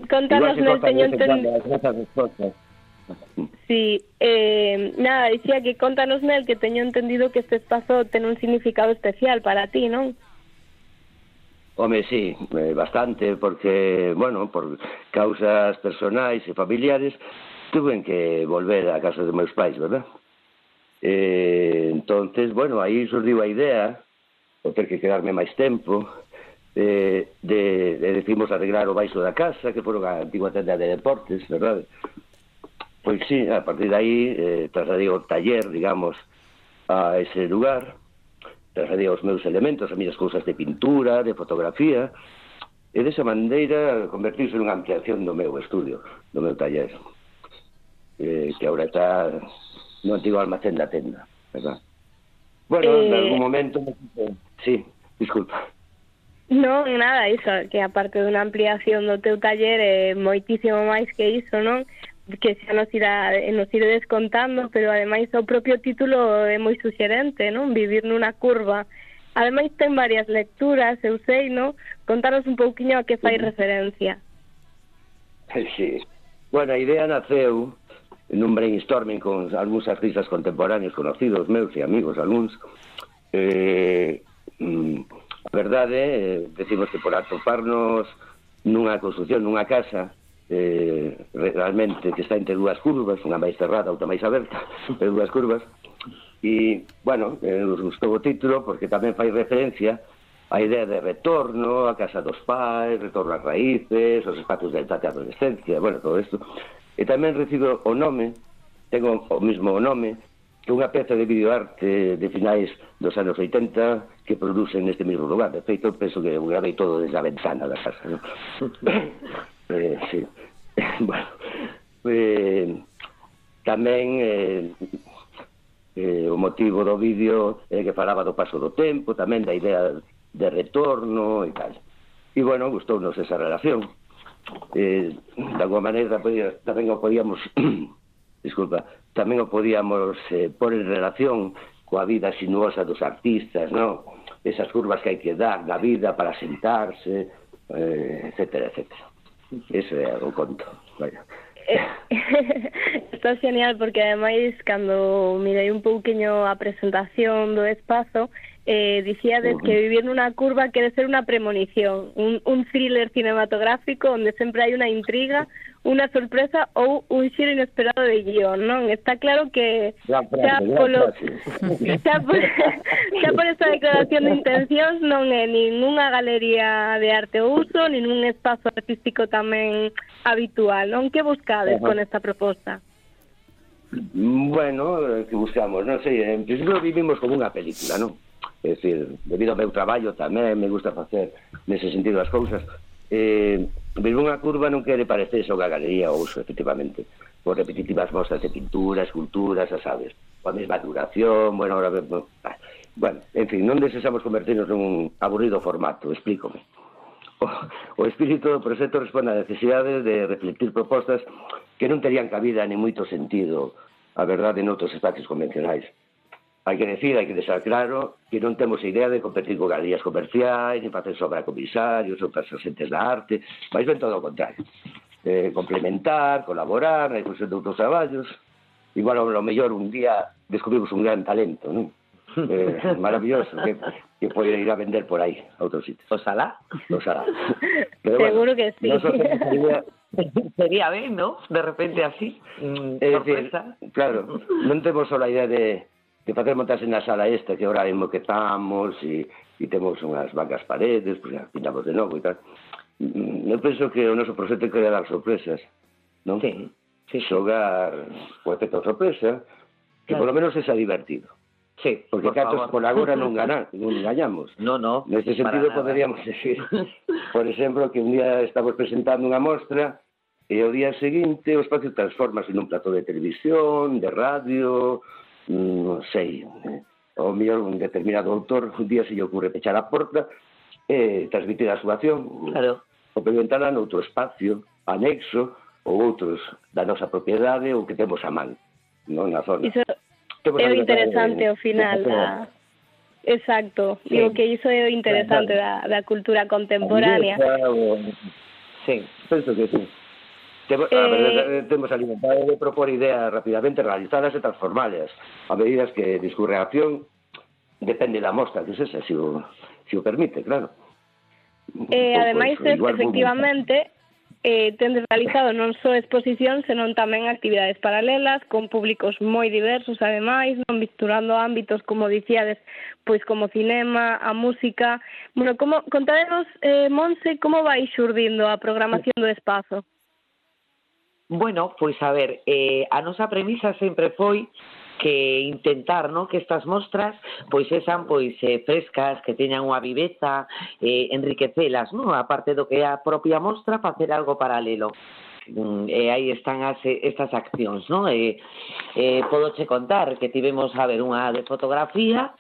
Contanos, Nel, teño entendido. Sí, nada, dicía que contanos, Nel, que teño entendido que este espazo ten un significado especial para ti, non? Home, sí, bastante, porque, bueno, por causas personais e familiares, tuve que volver a casa dos meus pais, verdad? Entonces, bueno, aí surdiu a idea, o ter que quedarme máis tempo, decimos arreglar o baixo da casa, que foron a antigua tenda de deportes, verdad? Pois sí, a partir de aí trasladei o taller, digamos, a ese lugar, trasladei os meus elementos, as minhas cousas de pintura, de fotografía, e desa maneira convertirse nunha ampliación do meu estudio, do meu taller, que agora está no antigo almacén da tenda, verdad? Bueno, en algún momento... Sí, disculpa. Non, nada, iso, que aparte dunha ampliación do teu taller moitísimo máis que iso, non? Que xa nos iredes contando, pero ademais o propio título é moi suxerente, non? Vivir nunha curva. Ademais ten varias lecturas, eu sei, non? Contanos un pouquiño a que fai referencia. Sí. Bueno, a idea naceu nun brainstorming con algúns artistas contemporáneos conocidos meus e amigos, algúns. A verdade, decimos que por atoparnos nunha construcción, nunha casa, realmente que está entre dúas curvas, unha máis cerrada, outra máis aberta, entre dúas curvas, e, bueno, nos gustou o título porque tamén fai referencia á idea de retorno a casa dos pais, retorno ás raíces, os espazos de etapa de adolescencia, bueno, todo isto. E tamén recibo o nome, tengo o mismo nome, que unha peza de videoarte de finais dos anos 80 que producen neste mesmo lugar. De feito, penso que gravei todo desde a ventana da casa, ¿no? Sí. Bueno, tamén o motivo do vídeo é que falaba do paso do tempo, tamén da idea de retorno e tal. E, bueno, gustounos esa relación. De alguma maneira tamén o podíamos disculpa, tamén o podíamos pôr en relación coa vida sinuosa dos artistas, non? Esas curvas que hai que dar na vida para sentarse, etcétera, etcétera. Ese é o conto, vaya. Está genial porque ademais cando mirei un pouquiño a presentación do espazo dicíades que vivir nunha curva quere ser unha premonición, un thriller cinematográfico onde sempre hai unha intriga, unha sorpresa ou un xiro inesperado de guión, non? Está claro que xa por esa declaración de intencións non é ninguna galería de arte ou uso, nin un espazo artístico tamén habitual, non? Que buscades con esta proposta? Bueno, que buscamos, non sei, en principio vivimos como unha película, non? É dicir, debido ao meu traballo tamén me gusta facer nese sentido as cousas. Ver unha curva non quere parecerse unha galería ou uso, efectivamente, por repetitivas mostras de pintura, esculturas, a sabes, coa mesma duración, bueno, ahora en fin, non desexamos convertirnos nun aburrido formato, explícome. O espírito do proxecto responde á necesidade de reflectir propostas que non terían cabida nin moito sentido, a verdade, noutros espacios convencionais. Hai que decir, hai que deixar claro que non temos idea de competir con galerías comerciais, ni facer sobra comisarios ou persistentes da arte, mas ben todo o contrario. Complementar, colaborar na difusión de outros traballos. Igual, ao mellor, un día descubrimos un gran talento, non? Maravilloso, que pode ir a vender por aí, a outros sitios. Oxalá. Seguro que sí. Sería ben, ¿no? De repente así, sorpresa. Claro, non temos só a idea de facer montarse na sala esta que ahora moquetamos e temos unhas bancas paredes, pues, pintamos de novo e tal. Eu penso que o noso proxecto quere dar sorpresas, non? Sí. Xogar o efecto sorpresa, que por lo menos é divertido. Sí, porque catos por agora non gañamos. No. Neste sentido poderíamos decir, por exemplo, que un día estamos presentando unha mostra e o día seguinte o espacio transformase nun plató de televisión, de radio, non sei, ou mellor un determinado autor un día se lle ocurre pechar a porta e transmitir a súa acción, claro, ou preguntala noutro espacio anexo ou outros da nosa propiedade ou que temos a man, non na zona. Iso é o interesante ao final exacto, digo que iso é o interesante da cultura contemporánea. Sí, penso que sí. Temos a libertade de propor ideas rapidamente realizadas e transformadas a medida que discurre a acción, depende da mostra que se si o permite, claro. Ademais, Pois, igual efectivamente, tendes realizado non só exposicións, senón tamén actividades paralelas con públicos moi diversos, ademais, non misturando ámbitos, como dicíades, pois como cinema, a música. Bueno, contadenos, Monse, como vai xurdindo a programación do espazo? Bueno, pois a ver, a nosa premisa sempre foi que intentar, ¿no?, que estas mostras pois sean pois frescas, que teñan unha viveza, enriquecelas, ¿no?, aparte do que é a propia mostra, facer algo paralelo. Aí están estas accións, ¿no? Podoche contar que tivemos a ver unha de fotografía,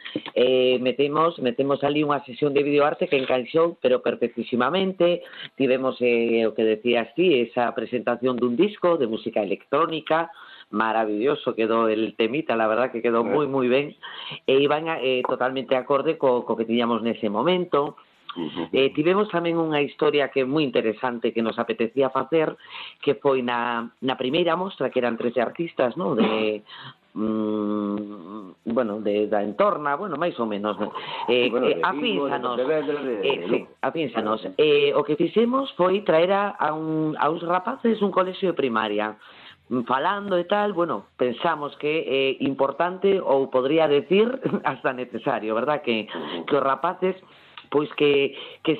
metemos ali unha sesión de videoarte que encaixou, pero perfectísimamente. Tivemos o que decías ti, esa presentación dun disco de música electrónica, maravilloso quedou el temita, la verdad que quedou moi moi ben, e iban totalmente acorde co que tiñamos nese momento. Tivemos tamén unha historia que é moi interesante que nos apetecía facer, que foi na primeira mostra, que eran 13 artistas, ¿no?, da entorna, bueno, máis ou menos, afínsanos. O que fixemos foi traer a uns rapaces un colexio de primaria, falando e tal, bueno, pensamos que é importante, ou podría decir hasta necesario, verdad, que os rapaces pois que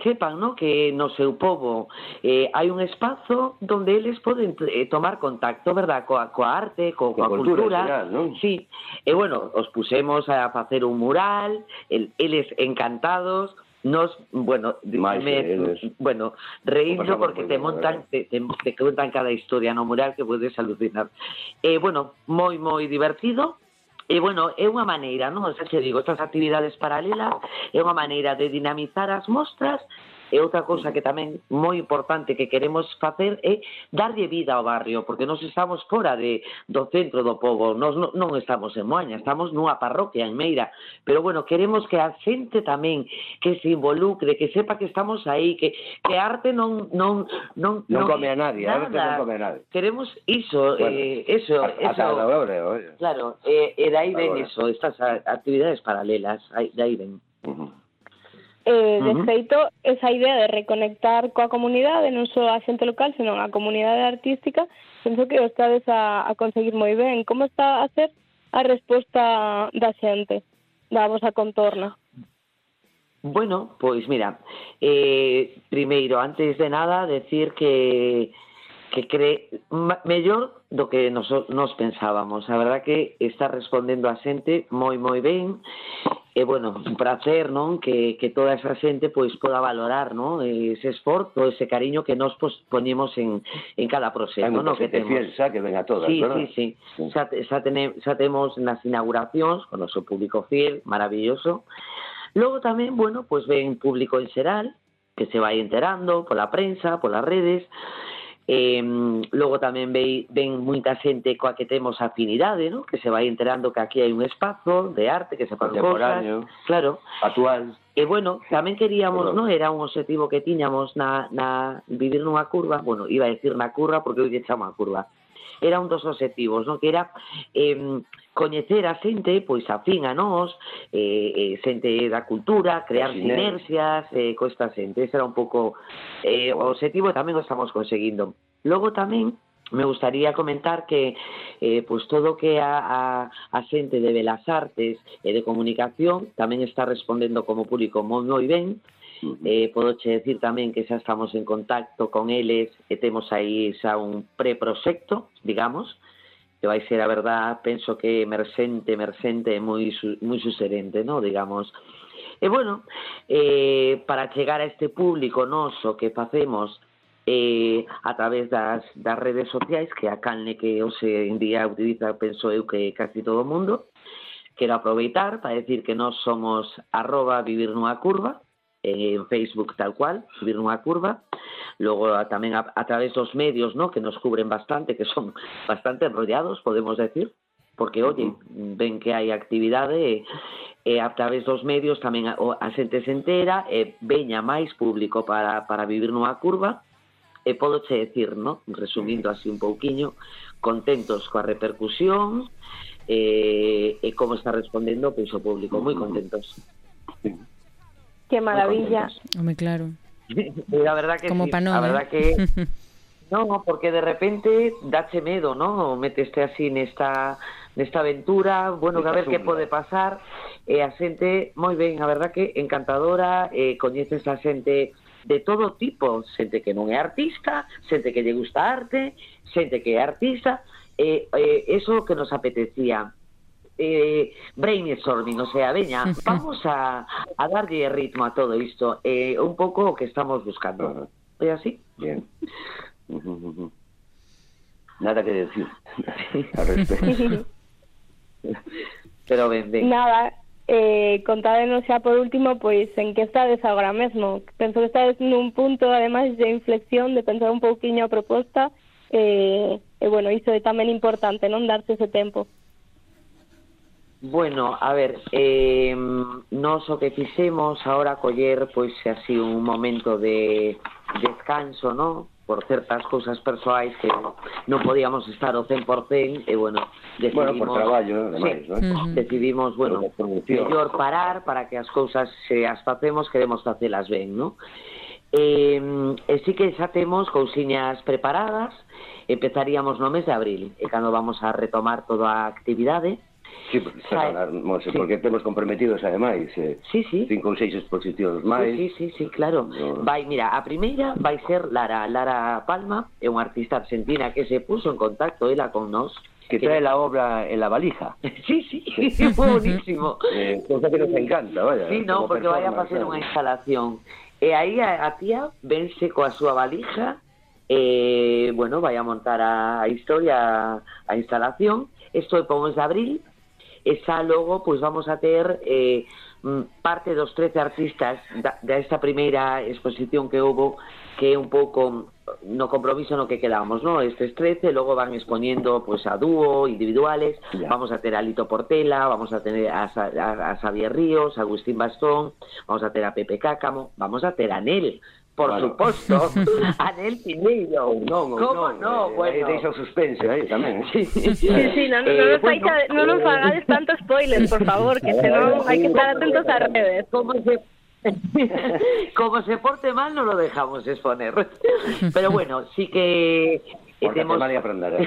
sepan, ¿no?, que no seu pobo hai un espazo donde eles poden tomar contacto, verdad, coa arte, coa cultura, general, ¿no? Sí, e bueno, os pusemos a facer un mural, eles encantados. Nos, reíndo porque te montan, te contan cada historia no mural que podes alucinar. Moi, moi divertido. E, bueno, é unha maneira, non? Xa te digo, estas actividades paralelas é unha maneira de dinamizar as mostras. E outra cousa que tamén moi importante que queremos facer é darlle vida ao barrio, porque nós estamos fora do centro do pobo, nós non estamos en Moaña, estamos nunha parroquia en Meira, pero bueno, queremos que a xente tamén que se involucre, que sepa que estamos aí, que arte non come a nadie, a arte non come a nadie. Queremos iso, claro, e dai ven iso, estas actividades paralelas, dai ven. De feito, esa idea de reconectar coa comunidade, non só a xente local, senón a comunidade artística, penso que o estades a conseguir moi ben. Como está a ser a resposta da xente, da vosa contorna? Bueno, pois mira, primeiro, antes de nada, decir que mellor do que nos pensábamos. A verdad que está respondendo a xente moi moi ben. E, bueno, un placer, non? Que toda esa xente pois poda valorar, non? Ese esforzo, ese cariño que nos poñemos en cada proxecto, non? Que temos. Piensa que ven a todas, ¿verdad? Sí. Xa temos nas inauguracións con o seu público fiel, maravilloso. Logo tamén, bueno, pois ven público en xeral, que se vai enterando pola prensa, polas redes. Logo tamén ven moita xente coa que temos afinidade, ¿no?, que se vai enterando que aquí hai un espazo de arte, que se fan cosas, claro, actual. E bueno, tamén queríamos, ¿no?, era un objetivo que tiñamos na vivir nunha curva, bueno, iba a decir na curva porque hoxe chama a curva. Era un dos objetivos, ¿no?, que era coñecer a xente pois afín a nós, xente da cultura, crear sinerxias co esta xente. Ese era un pouco o objetivo e tamén o estamos conseguindo. Logo tamén me gustaría comentar que pois todo o que a xente de Belas Artes e de comunicación tamén está respondendo como público moi ben. Podoche decir tamén que xa estamos en contacto con eles e temos aí xa un preproxecto, digamos, que vai ser, a verdad, penso que emerxente e moi suserente, ¿no?, digamos. E, bueno, para chegar a este público noso que facemos a través das redes sociais, que a canle que hoxe en día utiliza, penso eu, que casi todo o mundo, quero aproveitar para decir que nós somos @vivirnunhacurva, en Facebook tal cual, Vivir nunha curva. Logo tamén a través dos medios, ¿no?, que nos cubren bastante, que son bastante enrollados, podemos decir, porque, oye, ven que hai actividade e a través dos medios tamén a xente se entera e veña máis público para Vivir nunha curva. E podoche decir, ¿no?, resumindo así un pouquiño, contentos coa repercusión e como está respondendo pois o público, moi contentos. Que maravilla. Home, claro. A verdad que como sí, pa non, a verdad que no, porque de repente dache medo, ¿no? Meteste así nesta aventura, bueno, que a ver que pode pasar, e a xente moi ben, a verdad que encantadora, coñeces a xente de todo tipo, xente que non é artista, xente que lle gusta a arte, xente que é artista, eso que nos apetecía. Brainstorming, o sea, veña, vamos a darlle ritmo a todo isto, un pouco o que estamos buscando. É así? Bien. Nada que decir al respecto. Pero ben. Nada, contádenos xa por último, pois, en que estades agora mesmo. Penso que estades nun punto, ademais, de inflexión, de pensar un pouquiño a proposta, e bueno, iso é tamén importante, non darse ese tempo. Bueno, a ver, nos o que fixemos ahora coller, pois, así un momento de descanso, ¿no? Por certas cousas persoais que non podíamos estar ao 100%, e, bueno, decidimos... por traballo, ademais, sí, ¿no? Decidimos, bueno, mellor parar para que as cousas, se as facemos, queremos facelas ben, ¿no? E sí que xa temos cousiñas preparadas, empezaríamos no mes de abril, e cando vamos a retomar toda a actividade. Sí, porque temos comprometidos ademais 5 ou 6 exposicións máis. Sí, claro. Vai, mira, a primeira vai ser Lara Palma, é unha artista argentina que se puso en contacto ela con nós, que trae la obra en la valija. Sí, buenísimo. Cosa que nos encanta, vaya. Sí, no, porque vai a facer unha instalación. E aí a tía vense coa súa valija, bueno, vai a montar a historia, a instalación. Isto é para o mes de abril. E xa logo, pois vamos a ter parte dos 13 artistas desta primeira exposición que houve, que é un pouco no compromiso no que quedamos, ¿no? Estes 13, logo van expoñendo pois a dúo, individuales, vamos a ter a Lito Portela, vamos a tener a Xavier Ríos, a Agustín Bastón, vamos a ter a Pepe Cácamo, vamos a ter a Nel, por suposto, a Nel Pineiro. Como no? Bueno, deixa o suspense aí tamén. Sí, non nos fagades tanto spoiler, por favor, que senón hai que estar atentos ás redes. Como se porte mal non lo dejamos exponer. Pero bueno, sí que temos mal de aprender.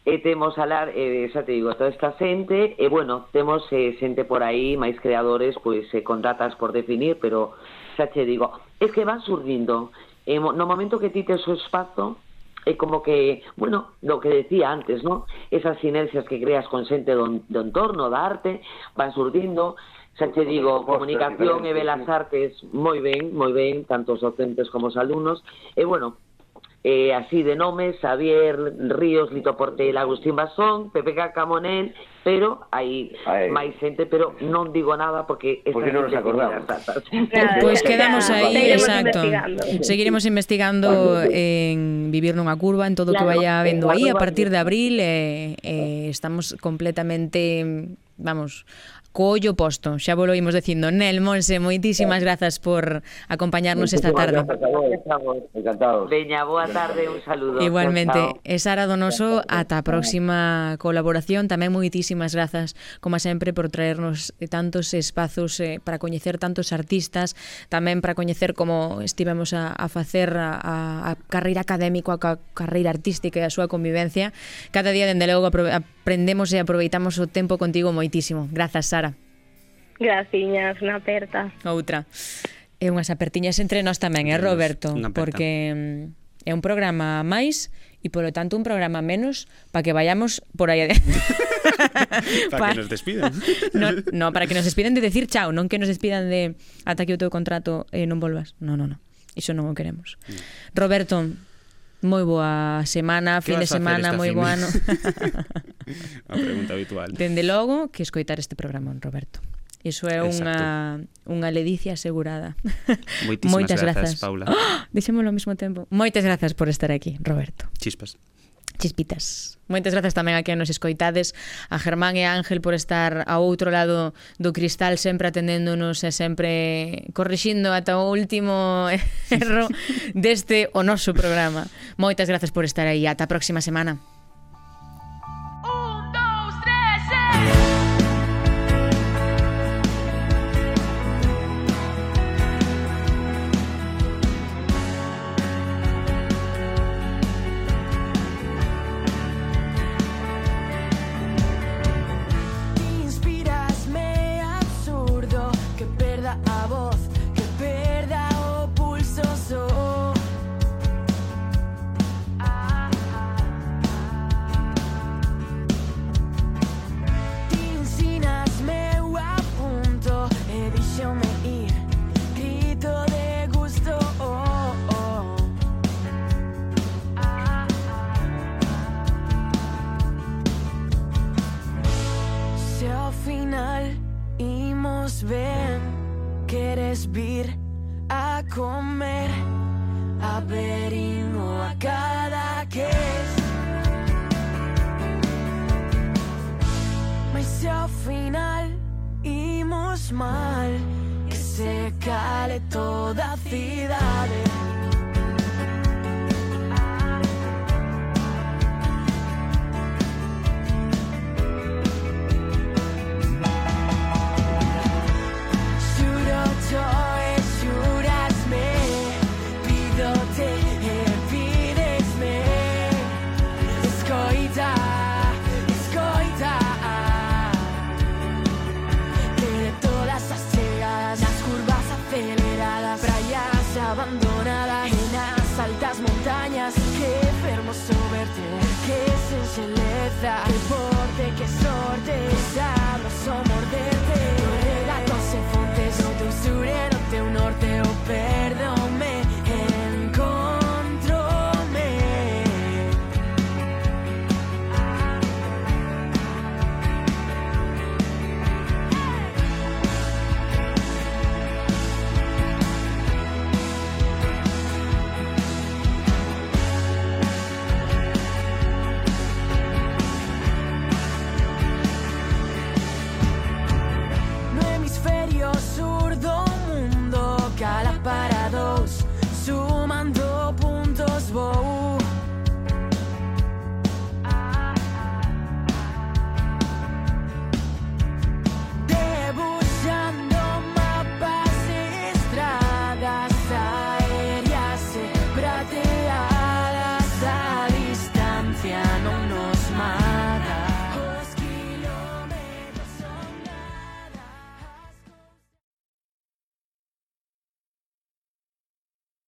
Temos alar, xa te digo, toda esta xente, e bueno, temos xente por aí, máis creadores, pois con datas por definir, pero xa te digo, es que van surgindo. No momento que ti tes o espazo, é como que, bueno, lo que decía antes, ¿no? Esas sinerxias que creas con xente do entorno, da arte, van surgindo. Xa te digo, comunicación e belas artes moi ben, tanto os docentes como os alumnos. E bueno, así de nomes, Xavier Ríos, Lito Portela, Agustín Basón, Pepe Cácamo, Nel, pero hai máis xente, pero non digo nada porque non nos acordamos. Pois quedamos aí, exacto. Seguiremos investigando en Vivir nunha curva, en todo o que vaya habendo aí a partir de abril, estamos completamente, vamos, collo posto, xa volo imos dicindo. Nel, Monse, moitísimas grazas por acompañarnos esta tarde. Encantados. Veña, boa tarde, un saludo. Igualmente, e Sara Donoso, ata a próxima colaboración. Tamén moitísimas grazas, como sempre, por traernos tantos espazos para coñecer tantos artistas, tamén para coñecer como estivemos a facer a carreira académica, a carreira artística e a súa convivencia. Cada día, dende logo, aprendemos e aproveitamos o tempo contigo moitísimo. Grazas, Sara. Graciñas, unha aperta. Outra. E unhas apertiñas entre nós tamén, Roberto? Porque é un programa máis e, polo tanto, un programa menos para que vayamos por aí para que nos despidan. No, para que nos despiden de decir chao, non que nos despidan de ata que o teu contrato non volvas. No. Iso non o queremos. Roberto, moi boa semana, fin de semana, moi bo ano. A pregunta habitual. Dende logo que escoitar este programa, Roberto. Iso é unha ledicia asegurada. Moitísimas grazas, Paula. Dixémolo ao mesmo tempo. Moitas grazas por estar aquí, Roberto. Chispitas. Moitas grazas tamén a que nos escoitades, a Germán e a Ángel por estar ao outro lado do cristal, sempre atendéndonos e sempre corrixindo ata o último erro deste o noso programa. Moitas grazas por estar aí. Ata a próxima semana. verín o a cada quez. Mas se ao final imos mal, que se cale toda a cidade. Abandonada en las altas montañas, que hermoso verte, que sensualeza.